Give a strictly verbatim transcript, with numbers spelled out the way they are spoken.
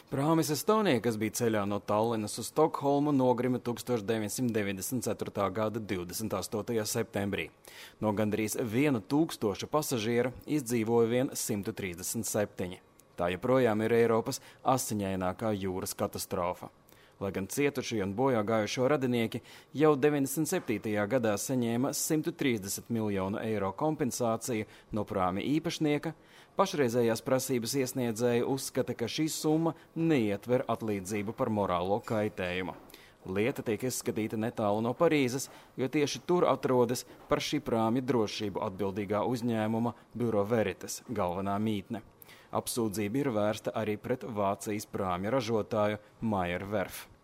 Prāmis Estonija, kas bija ceļā no Tallinas uz Stokholmu, nogrima tuksstoš deviņsimt deviņdesmit ceturtā gada divdesmit astotajā septembrī. No gandrīz viena tūkstoša pasažiera izdzīvoja vien simt trīsdesmit septiņi. Tā joprojām ir Eiropas asiņainākā jūras katastrofa. Lai gan cietušie un bojā gājušo radinieki jau deviņdesmit septītajā gadā saņēma simt trīsdesmit miljonu eiro kompensāciju no prāmi īpašnieka, pašreizējās prasības iesniedzēji uzskata, ka šī summa neietver atlīdzību par morālo kaitējumu. Lieta tiek izskatīta netālu no Parīzes, jo tieši tur atrodas par šī prāmja drošību atbildīgā uzņēmuma Bureau Veritas galvenā mītne. Apsūdzība ir vērsta arī pret Vācijas prāmja ražotāju Meyer Werft.